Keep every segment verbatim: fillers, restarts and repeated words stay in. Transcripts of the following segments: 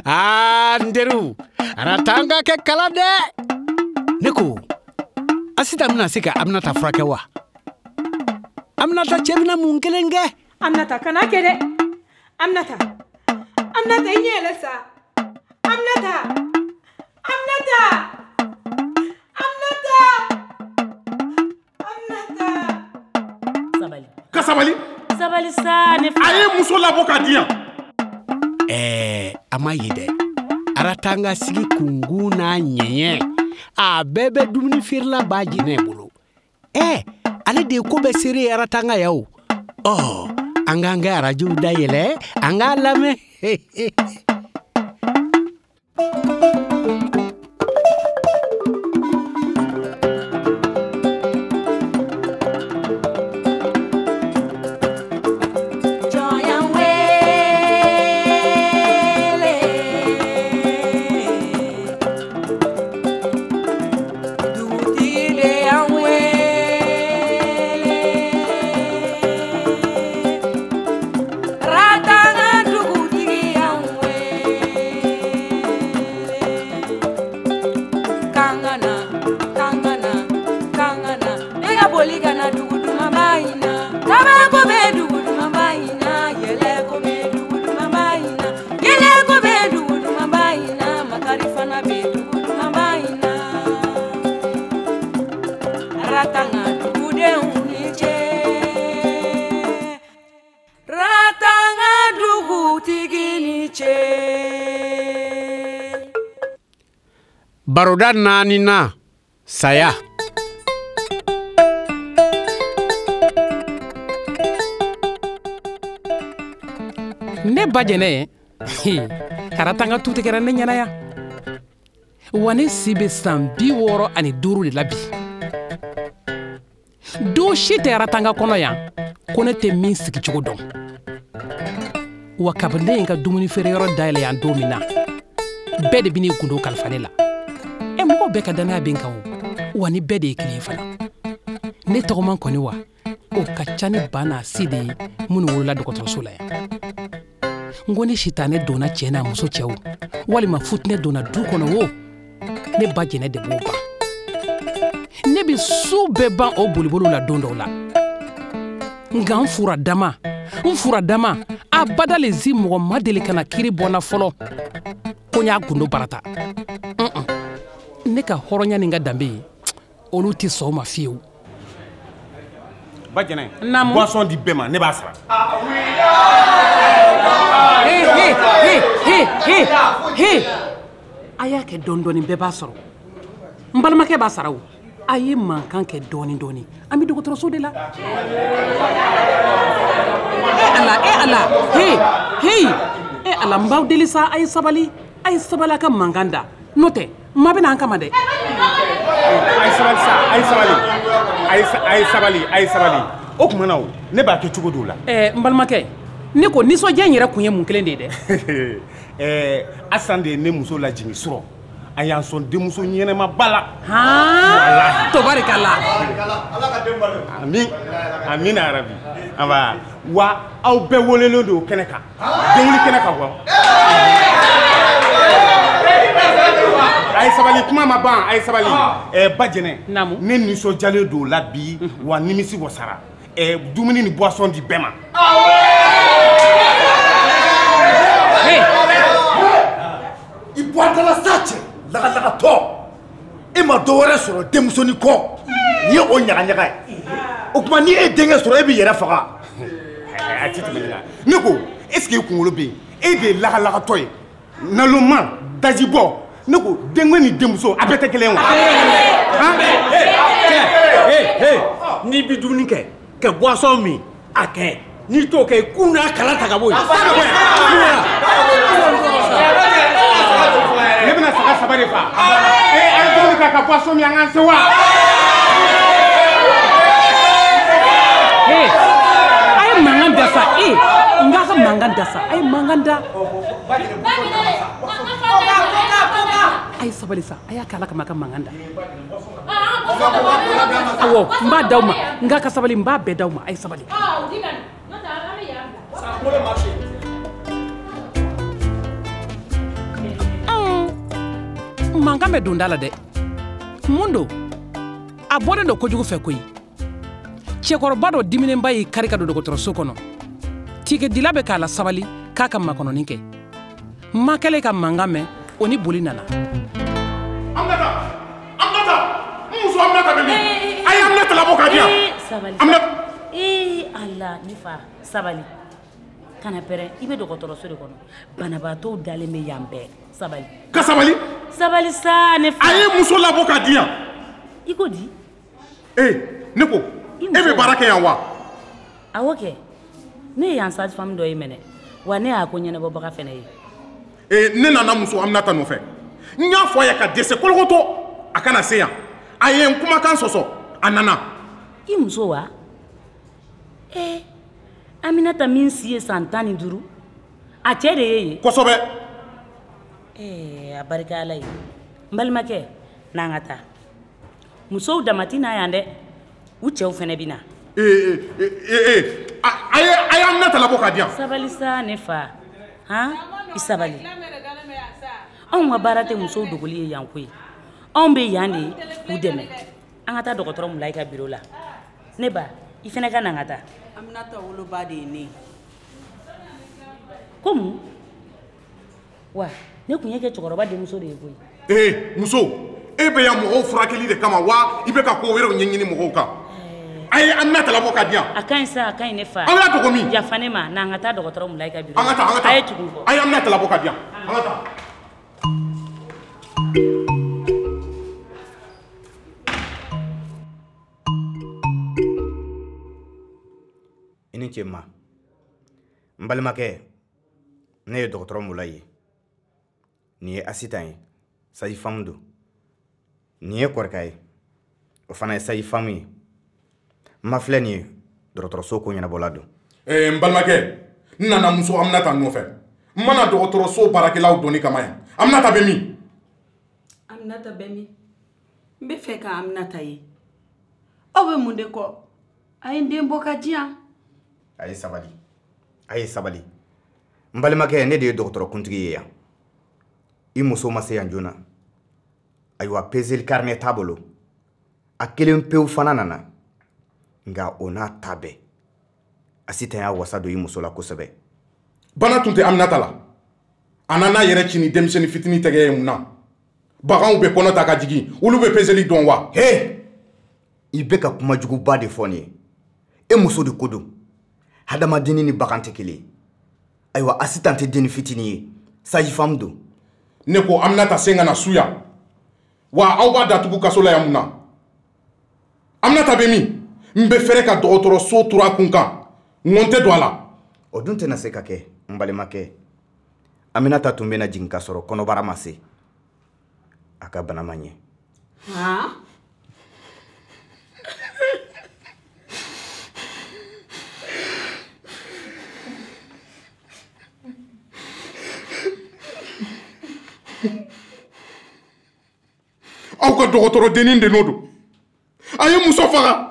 Aa, n teriw, Aratanga kɛ kala dɛ. Ne ko, Asitan bɛna se ka Aminata furakɛ wa? Aminata cɛ bɛna mun kelen kɛ? Aminata, kana kɛ dɛ. Aminata, Aminata, i ɲɛ yɛlɛ sa. Aminata, Aminata, Aminata, Aminata. Sabali. Ka sabali. Sabali sa ne fa. A ye muso labɔ k'a di yan. Ɛɛ, a ma ye dɛ. Aratanga sigi kungun n'a ɲɛɲɛ, a bɛɛ bɛ dumuni feerela ba jɛnɛ bolo. Ɛ, ale de ye ko bɛɛ seere ye Aratanga ya o. Ɔ, an k'an ka arajow dayɛlɛ, an k'a lamɛn. Baroda naani na, saya. Ne ba jɛnɛ, Aratanga tu tɛ kɛra ne ɲɛna yan. Wa ne si bɛ san bi wɔɔrɔ ani duuru de la bi. Don si tɛ Aratanga kɔnɔ yan ko ne tɛ min sigicogo dɔn. Wa kabini ne ye n ka dumuni feereyɔrɔ dayɛlɛ yan don min na, bɛɛ de bɛ n'i gundo kalifa ne la. E mɔgɔw bɛɛ ka danaya bɛ n kan o, wa ni bɛɛ de ye kelen ye fana. Ne tɔgɔman kɔni wa, o ka ca ni ba n'a si de ye minnu wolola dɔgɔtɔrɔso la yan. N ko ni sitanɛ donna cɛ n'a muso cɛ o, walima futinɛ donna du kɔnɔ o, ne ba jɛnɛ de b'o ban. Ne bɛ su bɛɛ ban o boliboliw la don dɔw la. Nka n fura dama, n fura dama, abada le zi mɔgɔ ma deli ka na kiri bɔ n na fɔlɔ ko n y'a gundo barata. Ne ka hɔrɔnya ni n ka danbe ye, olu tɛ sɔn o ma fiyewu. Ba jɛnɛ, naamu, boisson di bɛɛ ma, ne b'a sara. He he he he he, a y'a kɛ dɔɔni dɔɔni, bɛɛ b'a sɔrɔ. N balimakɛ b'a sara o. A ye mankan kɛ dɔɔni dɔɔni, an bɛ dɔgɔtɔrɔso de la. E Ala, e Ala, he he, e Ala, n b'aw deli sa, a ye sabali, a ye sabali a ka mankan da, n'o tɛ ma bɛna an kama dɛ. A ye sabali sa, a ye sabali, a ye sabali, a ye sabali. O tuma na o, ne b'a kɛ cogo dɔw la. Ɛɛ, n balimakɛ, ne ko nisɔndiya in yɛrɛ kun ye mun kelen de ye dɛ? Ɛɛ, Asan de ye ne muso lajigin surɔ. A y'an sɔn denmuso ɲɛnɛmaba la. Haan, tobarikala. Amin, amina yarabi. Aba, wa aw bɛɛ welelen don kɛnɛ kan. Denwuli kɛnɛ kan wa. A ye sabali, kuma ma ban, a ye sabali. Ɛɛ, ba jɛnɛ, ne nisɔndiyalen don o la bi, wa nimisi wasara. Ɛɛ, dumuni ni boisson di bɛɛ ma. I bɔ a da la sa cɛ, lagalagatɔ. E ma dɔ wɛrɛ sɔrɔ denmusonin kɔ. N'i ye o ɲagaɲaga ye. O tuma ni e denkɛ sɔrɔ, e b'i yɛrɛ faga. A ti tɛmɛ ne la. Ne ko, est ce que e kunkolo bɛ yen? E de ye lagalagatɔ ye. Naloma, dajibɔ. Ne ko denkɛ ni denmuso a bɛɛ tɛ kelen ye wa? Cɛ, n'i bɛ dumuni kɛ, ka boisson min, a kɛ. N'i t'o kɛ, i kun n'a kala ta ka bɔ yen. Ne bɛna saga saba de fa. Ee, a ye dumuni kɛ ka boisson min, an k'an se wa? A ye mankan da sa, e, n k'a ka mankan da sa, a ye mankan da. A ye sabali sa, a y'a kɛ Ala kama a ka mankan da. Awɔ, n b'a d'aw ma, n k'a ka sabali, n b'a bɛɛ d'aw ma, a ye sabali. Mankan bɛ don da la dɛ. Mun don? A bɔlen don kojugu fɛ koyi. Cɛkɔrɔba dɔ diminenba y'i kari ka don dɔgɔtɔrɔso kɔnɔ. Tikedila bɛ k'a la sabali k'a ka makɔnɔni kɛ. Ma kɛlen ka mankan mɛn, o ni boli nana. Aminata! Aminata! N muso Aminata bɛ min? A ye Aminata labɔ k'a di yan. Sabali. Aminata. Ee Ala, ne fa, sabali. Kana pɛrɛn, i bɛ dɔgɔtɔrɔso de kɔnɔ. Banabaatɔw dalen bɛ yan bɛɛ. Sabali. Ka sabali? Sabali sa, ne fa. A ye muso labɔ k'a di yan. I ko di? Ee, ne ko, e bɛ baara kɛ yan wa? Awɔ kɛ. Ne ye yan sage-femme dɔ ye mɛnɛ. Wa ne y'a ko ɲɛnabɔbaga fɛnɛ ye. Ee, ne nana muso Aminata nɔfɛ. N y'a fɔ a ye ka dɛsɛ kolokotɔ a kana se yan. A ye n kumakan sɔsɔ, a nana. I muso wa? Ee, Aminata min si ye san tan ni duuru, a cɛ de ye yen. Kosɛbɛ. Ee, a barika Ala ye. N balimakɛ, n'an ka taa. Musow dama tɛ na yan dɛ, u cɛw fɛnɛ bɛ na. Ee, ee, ee, a ye a ye Aminata labɔ k'a di yan. Sabali sa, ne fa. Han, i sabali. Anw ka baara tɛ musow dogoli ye yan koyi. Anw bɛ yan de k'u dɛmɛ. An ka taa dɔgɔtɔrɔ Mulayi ka biro la. Ne ba, i fɛnɛ ka na an ka taa. Aminata woloba de ye ne ye. Ko mun? Wa ne tun ye kɛ cɛkɔrɔba denmuso de ye koyi. Ee muso, e bɛ yan mɔgɔw furakɛli de kama wa i bɛ ka ko wɛrɛw ɲɛɲini mɔgɔw kan? A ye Aminata labɔ k'a di yan. A ka ɲi sa, a ka ɲi ne fa. An ka dogo min? Yafa ne ma, n'an ka taa dɔgɔtɔrɔ Mulayi ka biro la. An ka taa, an ka taa. A ye tugu n kɔ. A ye Aminata labɔ k'a di yan. An ka taa. I ni ce ma. N balimakɛ, ne ye dɔgɔtɔrɔ Mulayi ye. Nin ye Asitan ye, sage-femme don. Nin ye Kɔrika ye, o fana ye sage-femme ye. N ma filɛ nin ye, dɔgɔtɔrɔso ko ɲɛnabɔla don. Ee n balimakɛ, n nana muso Aminata nɔfɛ. N mana dɔgɔtɔrɔso baarakɛlaw dɔnni kama yan. Aminata bɛ min? Aminata bɛ min? N bɛ fɛ ka Aminata ye. Aw bɛ mun de kɔ? A ye n den bɔ ka di yan. A ye sabali, a ye sabali. N balimakɛ, ne de ye dɔgɔtɔrɔkuntigi ye yan. I muso ma se yan joona. Ayiwa, peseli carnet t'a bolo. A kelen pewu fana nana. Nka o n'a ta bɛɛ, Asitan y'a wasa don i muso la kosɛbɛ. Bana tun tɛ Aminata la. A nana yɛrɛ ci ni denmisɛnnin fitinin tɛgɛ ye mun na? Baganw bɛ kɔnɔ ta ka jigin, olu bɛ peseli dɔn wa? He! I bɛ ka kuma juguba de fɔ nin ye. E muso de ko don. Hadamadenni ni bagan tɛ kelen ye. Ayiwa, Asitan tɛ denni fitinin ye. Sage-femme don. Ne ko Aminata sen ka na su yan. Wa aw b'a datugu kaso la yan mun na? Aminata bɛ min? N bɛ fɛrɛ ka dɔgɔtɔrɔso turu a kun kan. Ŋɔn tɛ don a la. O dun tɛna se ka kɛ, n balimakɛ. Aminata tun bɛna jigin ka sɔrɔ kɔnɔbara ma se. A ka bana ma ɲɛ. Han? Aw ka dɔgɔtɔrɔdennin de n'o don. A ye muso faga.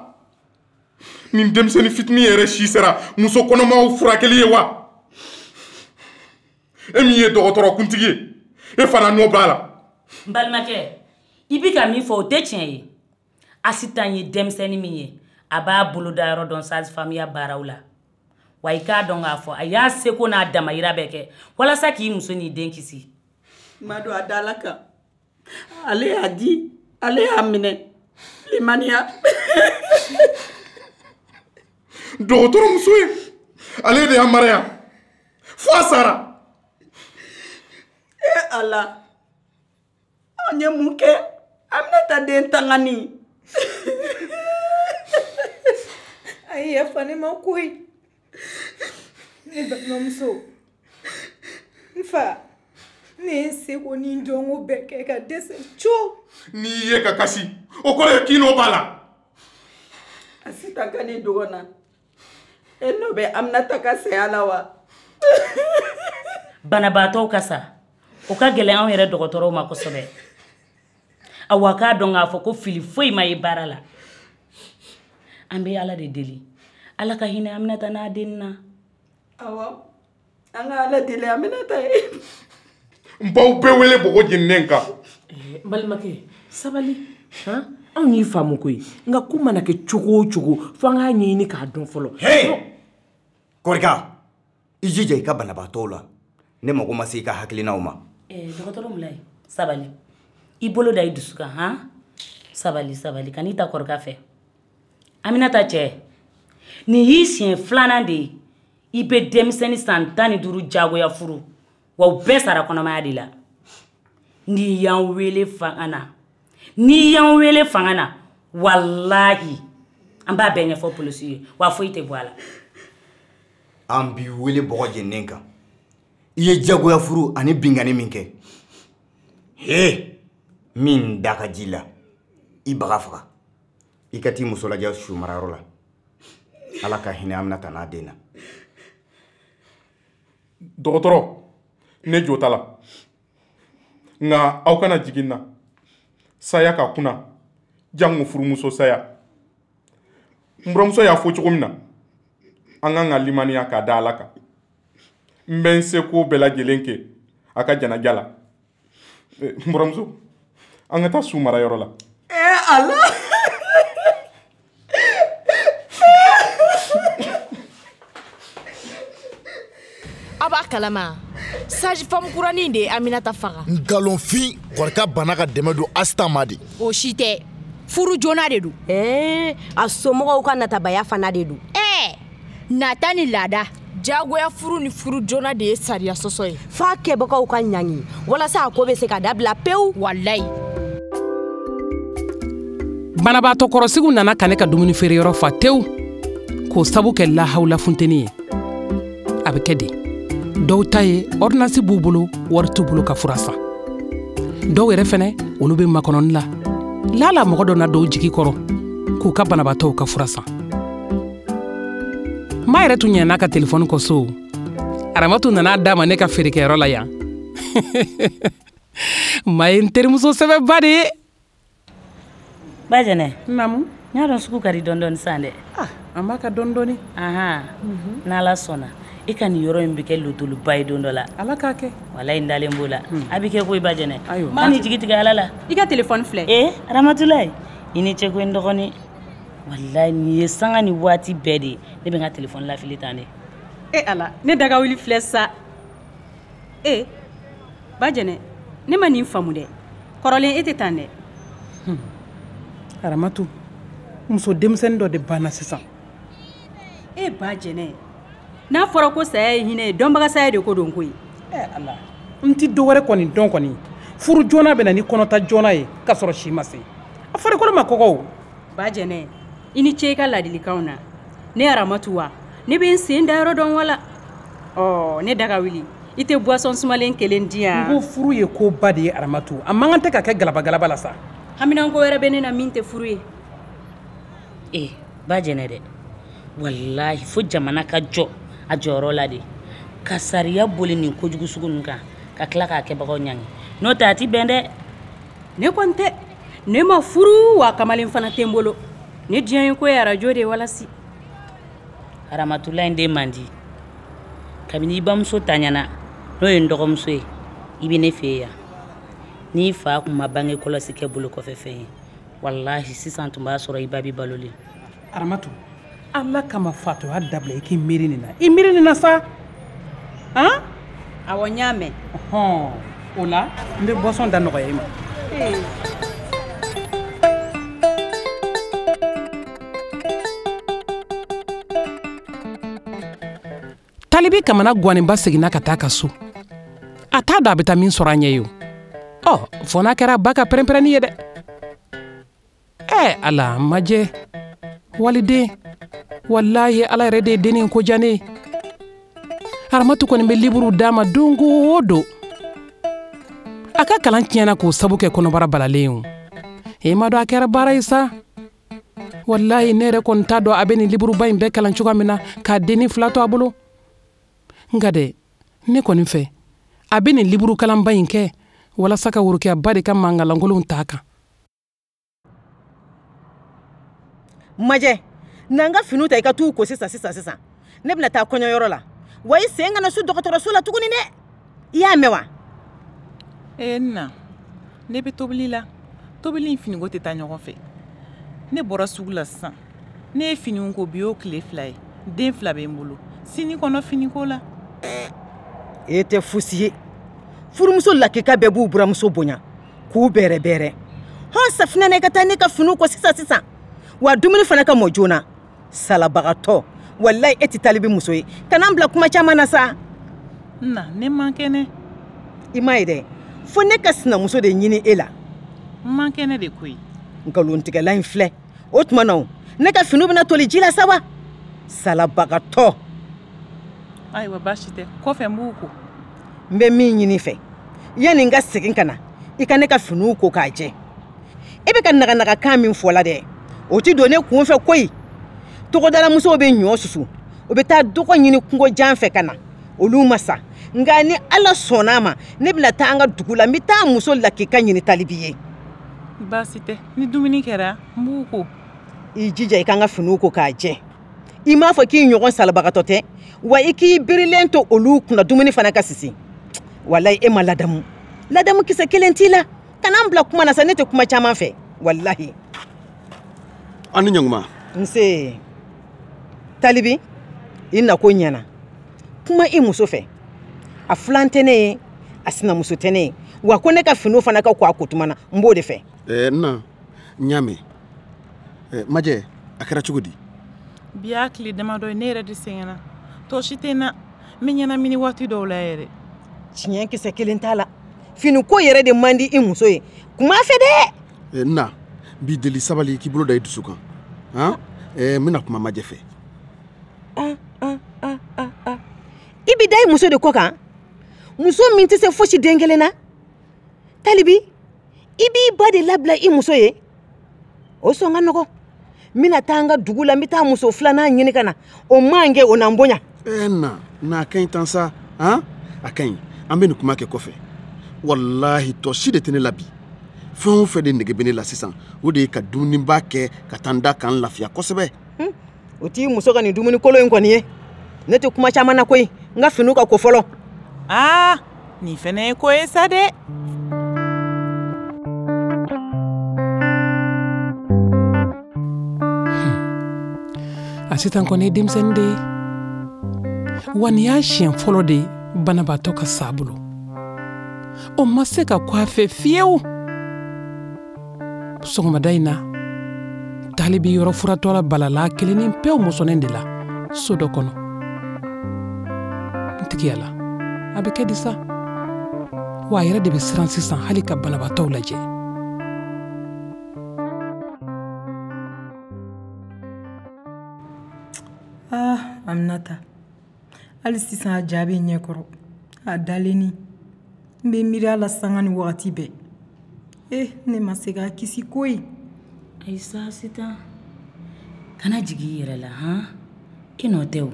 Nin denmisɛnnin fitinin yɛrɛ si sera muso kɔnɔmaw furakɛli ye wa? E min ye dɔgɔtɔrɔkuntigi ye, e fana nɔ b'a la. N balimakɛ, i bɛ ka min fɔ o tɛ tiɲɛ ye. Asitan ye denmisɛnnin min ye, a b'a boloda yɔrɔ dɔn sage-femme baaraw la. Wa i k'a dɔn k'a fɔ a y'a seko n'a damayira bɛɛ kɛ walasa k'i muso n'i den kisi. Ma don a da la kan. Ale y'a di, ale y'a minɛ. Limaniya. Dɔgɔtɔrɔ muso ye, ale de y'a mara yan fo a sara. E Ala, anw ye mun kɛ? Aminata den tangani. A ye yafa ne ma koyi. Ne balimamuso, n fa, ne ye n seko ni n dɔnko bɛɛ kɛ ka dɛsɛ co. N'i ye ka kasi, o kɔrɔ ye k'i n'o b'a la. Asitan ka n'i dogo n na. E nɔ bɛ Aminata ka saya la wa? Banabaatɔw ka sa, o ka gɛlɛn anw yɛrɛ dɔgɔtɔrɔw ma kosɛbɛ. Awa k'a dɔn k'a fɔ ko fili foyi ma ye baara la. An bɛ Ala de deli. Ala ka hinɛ Aminata n'a den na. Awɔ, an ka Ala deli Aminata ye. N b'aw bɛɛ wele bɔgɔ jeninen kan. N balimakɛ, sabali. Han, anw y'i faamu koyi. Nka ko mana kɛ cogo o cogo, fo an k'a ɲɛɲini k'a dɔn fɔlɔ. Hey! Kɔrika, i jija i ka banabaatɔw la. Ne mago ma se i ka hakilinaw ma. Eh, dɔgɔtɔrɔ Mulayi, sabali. I bolo da i dusu kan, han? Sabali, sabali, kan'i ta Kɔrika fɛ. Aminata cɛ, nin y'i siɲɛ filanan de ye i bɛ denmisɛnnin san tan ni duuru jagoya furu, wa u bɛɛ sara kɔnɔmaya de la. N'i y'an wele fanga na, n'i y'an wele fanga na, walahi, an b'a bɛɛ ɲɛfɔ polisiw ye, wa foyi tɛ bɔ a la. An b'i wele bɔgɔ jeninen kan. I ye jagoya furu ani binkanni min kɛ. He! Min da ka ji la, i baga faga. I ka t'i muso lajɛ su marayɔrɔ la. Ala ka hinɛ Aminata n'a den na. Dɔgɔtɔrɔ, ne jo t'a la. Nka aw kana jigin n na. Saya ka kunna, jango furumuso saya. N buramuso y'a fɔ cogo min na, an kan ka limaniya k'a da Ala kan. N bɛ n seko bɛɛ lajɛlen kɛ a ka janaja la. N buramuso, an ka taa su marayɔrɔ la. Eh Ala! A b'a kalama sage femme kuranin de ye Aminata faga. Nkalonfin, Kɔrika banna ka dɛmɛ don Asitan ma de. O si tɛ, furu joona de don. Ɛɛ, a somɔgɔw ka natabaya fana de don. Ɛɛ, nata ni laada, jagoya furu ni furu joona de ye sariya sɔsɔ ye. F'a kɛbagaw ka ɲangi walasa a ko bɛ se ka dabila pewu. Walayi. Banabaatɔ kɔrɔsigiw nana ka ne ka dumuni feereyɔrɔ fa tewu k'o sabu kɛ lahawula funteni ye. A bɛ kɛ de. Dɔw ta ye ordonnance b'u bolo, wari t'u bolo ka fura san. Dɔw yɛrɛ fɛnɛ, olu bɛ makɔnɔni la. Lala mɔgɔ dɔ na dɔw jigi kɔrɔ k'u ka banabaatɔw ka fura san. Ma yɛrɛ tun ɲinɛna ka telefɔni kɔ so. Aramatu nana d'a ma ne ka feerekɛyɔrɔ la yan. Ma ye n terimuso sɛbɛba de ye. Bajɛnɛ. Naamu. N y'a dɔn sugu ka di dɔɔni dɔɔni sisan dɛ. Ah, an b'a ka dɔɔni dɔɔni. Ahan. N'Ala sɔnna, e ka nin yɔrɔ in bɛ kɛ lotoluba ye don dɔ la. Ala k'a kɛ. Walayi n dalen b'o la. A bɛ kɛ koyi Bajɛnɛ. Ayiwa. Ma ni jigi tigɛ Ala la. I ka telefɔni filɛ. Ee Aramatulayi, i ni ce koyi n dɔgɔnin. Walayi nin ye sanga ni waati bɛɛ de ye ne bɛ n ka telefɔni lafili tan de. E Ala, ne daga wuli filɛ sa. E Bajɛnɛ, ne ma nin faamu dɛ. Kɔrɔlen e tɛ tan dɛ. Aramatu, muso denmisɛnnin dɔ de banna sisan. E Bajɛnɛ, n'a fɔra ko saya ye hinɛ ye, dɔnbaga saya de ko don koyi. Ɛ Ala, n ti dɔ wɛrɛ kɔni dɔn kɔni. Furu joona bɛ na ni kɔnɔta joona ye k'a sɔrɔ si ma se. A farikolo ma kɔgɔ o. Bajɛnɛ, i ni ce i ka ladilikanw na. Ne Aramatu wa, ne bɛ n sen da yɔrɔ dɔn wala. Ɔ, ne daga wuli, i tɛ boisson sumalen kelen di yan. N ko furu ye koba de ye Aramatu. A man kan tɛ ka kɛ galabagalaba la sa. Haminanko wɛrɛ bɛ ne na min tɛ furu ye. Ee Bajɛnɛ dɛ, walahi fo jamana ka jɔ a jɔyɔrɔ la de ka sariya boli nin kojugu sugu ninnu kan ka tila k'a kɛbagaw ɲangi. N'o tɛ a ti bɛn dɛ. Ne kɔni tɛ, ne ma furu wa kamalen fana tɛ n bolo. Ne diɲɛ ye ko ye arajo de ye walasi. Aramatula in den man di. Kabini i bamuso taɲana, n'o ye n dɔgɔmuso ye, i bɛ ne fɛ yen yan. N'i fa kun ma bange kɔlɔsi kɛ bolo kɔfɛ fɛn ye, walahi sisan tun b'a sɔrɔ i ba bi balolen. Aramatu, Ala kama fatɔya dabila i k'i miiri nin na. I miiri nin na sa. Han? Awɔ, n y'a mɛn. Ɔhɔn, o la n bɛ boisson da nɔgɔya i ma. Ee. Talibi kamana guwanenba seginna ka taa ka so. A t'a dɔn a bɛ taa min sɔrɔ a ɲɛ ye o. Ɔ, fo n'a kɛra ba ka pɛrɛnpɛrɛnni ye dɛ. Ɛ Ala, majɛ. Waliden, walahi Ala yɛrɛ de ye dennin ko diya ne ye. Aramatu kɔni bɛ liburu d'a ma don o don. A ka kalan tiɲɛna k'o sabu kɛ kɔnɔbara balalen ye o. E ma dɔn a kɛra baara ye sa. Walahi ne yɛrɛ kɔni t'a dɔn a bɛ nin liburuba in bɛɛ kalan cogoya min na k'a dennin fila to a bolo. Nka dɛ, ne kɔni fɛ, a bɛ nin liburu kalanba in kɛ walasa ka worokɛyaba de ka mankalankolonw t'a kan. Majɛ, na n ka finiw ta i ka t'u ko sisan sisan sisan. Ne bɛna taa kɔɲɔyɔrɔ la. Wa i sen kana su dɔgɔtɔrɔso la tuguni dɛ. I y'a mɛn wa? Ee na, Ne bɛ tobili la. Tobili in finiko tɛ taa ɲɔgɔn fɛ. Ne bɔra sugu la sisan. Ne ye finiw ko bi y'o tile fila ye. Den fila bɛ n bolo. Sini kɔnɔ finiko la. E tɛ fosi ye. Furumuso lakika bɛɛ b'u buramuso bonya k'u bɛrɛ bɛrɛ. Hɔn, safinɛ na, i ka taa ne ka finiw ko sisan sisan, wa dumuni fana ka mɔ joona. Salabagatɔ, walayi e tɛ talibi muso ye. Kana n bila kuma caman na sa. Na, ne man kɛnɛ. I m'a ye dɛ, fo ne ka sinamuso de ɲini e la. N man kɛnɛ de koyi. Nkalontigɛla in filɛ. O tuma na o, ne ka finiw bɛna toli ji la sa wa? Salabagatɔ. Ayiwa, baasi tɛ, kɔfɛ n b'u ko. N bɛ min ɲini fɛ, yanni n ka segin ka na, i ka ne ka finiw ko k'a jɛ. E bɛ ka naganagakan min fɔ la dɛ, o ti don ne kun fɛ koyi. Togodalamusow bɛ ɲɔ susu, o bɛ taa dɔgɔ ɲini kungo jan fɛ ka na, olu ma sa. Nka ni Ala sɔnna a ma, ne bɛna taa an ka dugu la, n bɛ taa muso lakika ɲini talibi ye. Baasi tɛ, ni dumuni kɛra n b'u ko. I jija i ka n ka finiw ko k'a jɛ. I m'a fɔ k'i ɲɔgɔn salabagatɔ tɛ wa? I k'i birilen to olu kunna, dumuni fana ka sisi. Walayi e ma ladamu, ladamu kisɛ kelen t'i la. Kana n bila kuma na sa, ne tɛ kuma caman fɛ walahi. An ni ɲankuma. Nse talibi, i nako ɲɛna. Kuma i muso fɛ. A filan tɛ ne ye, a sinamuso tɛ ne ye wa. Ko ne ka finiw fana ka ko a ko tuma na, n b'o de fɛ. Ɛɛ, n na, n y'a mɛn. Ɛɛ, Majɛ, a kɛra cogo di? Bi y'a tile damadɔ ye, ne yɛrɛ de sɛgɛnna, tɔɔsi tɛ n na, n bɛ ɲɛnamini waati dɔw la yɛrɛ. Tiɲɛ kisɛ kelen t'a la. Finiko yɛrɛ de man di i muso ye, kuma fɛ dɛ. Ɛɛ, n na, n b'i deli, sabali, k'i bolo da i dusu kan. Han, ɛɛ, n bɛna kuma Majɛ fɛ. I bɛ da i muso de kɔ kan, muso min tɛ se fosi den kelen na. Talibi, i b'i ba de labila i muso ye, o sɔn ka nɔgɔ. N bɛna taa an ka dugu la, n bɛ taa muso filanan ɲini ka na, o man kɛ o na n bonya. Ɛɛ, n na, na, a ka ɲi tan sa. Han, a ka ɲi, an bɛ nin kuma kɛ kɔfɛ. Walahi, tɔ si de tɛ ne la bi. Fɛn o fɛn de nege bɛ ne la sisan, o de ye ka dumuniba kɛ ka taa n da ka n lafiya kosɛbɛ. O t'i muso ka nin dumuni kolon in kɔni ye. Ne tɛ kuma caman na koyi, n ka finiw ka ko fɔlɔ. Aa, nin fɛnɛ ye ko ye sa dɛ. A sisan kɔni ye denmisɛnnin de ye wa. Nin y'a siɲɛ fɔlɔ de ye banabaatɔ ka sa a bolo. O ma se ka ko a fɛ fiyewu. Sɔgɔmada in na, talibi yɔrɔ furatɔ la balala kelennin pewu musonin de la so dɔ kɔnɔ. N tigiya la, a bɛ kɛ di sa wa? A yɛrɛ de bɛ siran sisan hali ka banabaatɔw lajɛ. Ah, Aminata, hali sisan a ja bɛ n ɲɛkɔrɔ, a dalenni. N bɛ miiri a la sanga ni wagati bɛɛ. Eh, ne ma se k'a kisi koyi. Ayi sa, Sitan, kana jigin i yɛrɛ la. Han, i nɔ tɛ o.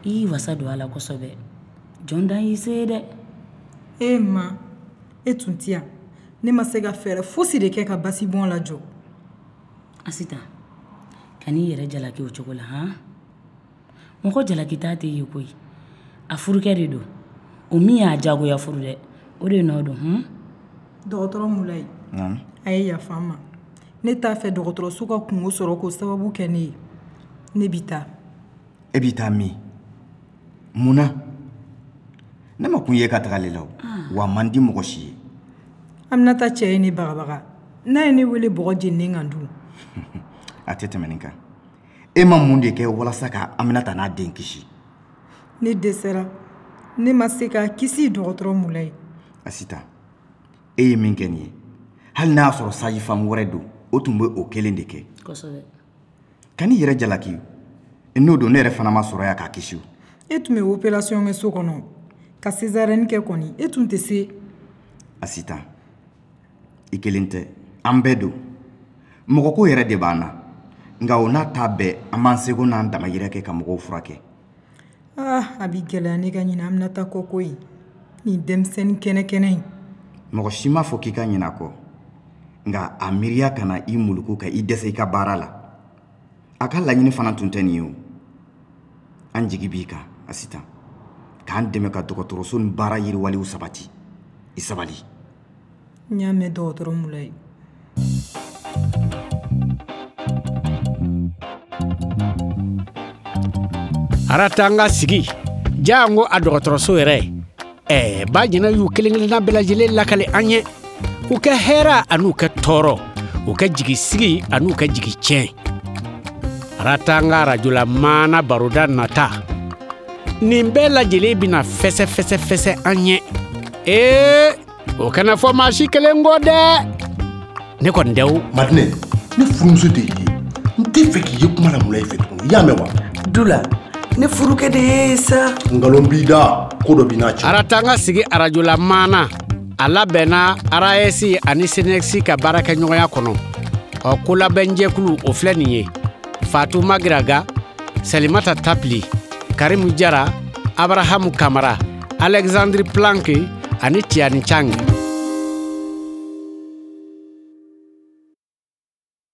I y'i wasa don a la kosɛbɛ. Jɔn dan y'i se ye dɛ. E ma, e tun tɛ yan. Ne ma se ka fɛɛrɛ fosi de kɛ ka basibɔn lajɔ. Asitan, kan'i yɛrɛ jalaki o cogo la. Han, mɔgɔ jalaki t'a tɛ ye koyi. A furukɛ de don o min y'a jagoya furu dɛ, o de nɔ don. Hun. Dɔgɔtɔrɔ Mulayi, Naamu. A ye yafa n ma. Ne t'a fɛ dɔgɔtɔrɔso ka kungo sɔrɔ k'o sababu kɛ ne ye. Ne bi taa. E b'i taa min? Mun na? Ne ma kun ye ka tagali la o. Wa a man di mɔgɔ si ye. Aminata cɛ ye ne bagabaga. N'a ye ne wele bɔgɔ jeninen kan dun? A tɛ tɛmɛ nin kan. E ma mun de kɛ walasa ka Aminata n'a den kisi? Ne dɛsɛra. Ne ma se k'a kisi, dɔgɔtɔrɔ Mulayi. Asita, e ye min kɛ nin ye, hali n'a y'a sɔrɔ sage-femme wɛrɛ don, o tun bɛ o kelen de kɛ. Kosɛbɛ. Kan'i yɛrɛ jalaki. N'o don, ne yɛrɛ fana ma sɔrɔ yan k'a kisi o. E tun bɛ opération kɛ so kɔnɔ ka césarienne kɛ kɔni, e tun tɛ se. Asita, i kelen tɛ, an bɛɛ don. Mɔgɔ ko yɛrɛ de b'an na, nka o n'a ta bɛɛ, an b'an seko n'an damayira kɛ ka mɔgɔw furakɛ. Ah, a bi gɛlɛya ne ka ɲinɛ Aminata kɔ koyi, nin denmisɛnnin kɛnɛ kɛnɛ in. Mɔgɔ si m'a fɔ k'i ka ɲinɛ a kɔ, nka a miiriya kana i muluku ka i dɛsɛ i ka baara la. A ka laɲini fana tun tɛ nin ye o. An jigi b'i kan, Asitan, k'an dɛmɛ ka dɔgɔtɔrɔso ni baara yiriwaliw sabati. I sabali. N y'a mɛn dɔgɔtɔrɔ Mulayi. Aratanga sigi jango a dɔgɔtɔrɔso yɛrɛ ɛɛ ba jɛnɛ y'u kelen kelenna bɛɛ lajɛlen lakale an ye u kɛ hɛrɛ an'u kɛ tɔɔrɔ u kɛ jigi sigi an'u kɛ jigi tiɲɛ. Aratanga arajola maana baroda nata nin bɛɛ lajɛlen bɛna fɛsɛ fɛsɛ fɛsɛ an ye. Ee o kana fɔ maa si kelen kɔ dɛ. Ne kɔni tɛ o. Madinɛ, ne furumuso de y'i ye, n tɛ fɛ k'i ye kuma la Mulayi fɛ tuguni, i y'a mɛn wa? Dula, ne furukɛ de ye sa. Nkalon b'i da, ko dɔ b'i n'a cɛ. Aratanga sigi arajola maana a labɛnna A R A S ani C N S ka baarakɛɲɔgɔnya kɔnɔ. Ɔ kolabɛnjɛkulu o filɛ nin ye: Fatu Magiraga, Salimata Tapili, Karimu Jara, Abrahamu Kamara, Alexandre Planck ani Tiani Chang.